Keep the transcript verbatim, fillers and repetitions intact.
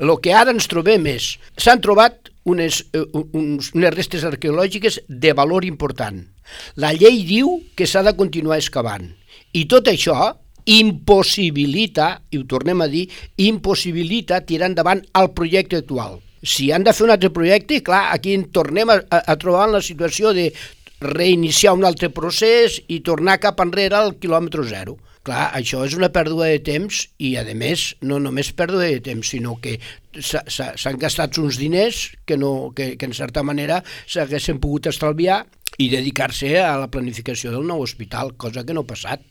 El que ara ens trobem és, s'han trobat unes, unes, unes restes arqueològiques de valor important. La llei diu que s'ha de continuar excavant i tot això impossibilita, i ho tornem a dir, impossibilita tirar endavant el projecte actual. Si han de fer un altre projecte, clar, aquí en tornem a, a, a trobar en la situació de reiniciar un altre procés i tornar cap enrere al quilòmetre zero. Clar, això és una pèrdua de temps i, a més, no només pèrdua de temps, sinó que s'han gastat uns diners que, no, que, que en certa manera s'haguessin pogut estalviar i dedicar-se a la planificació del nou hospital, cosa que no ha passat.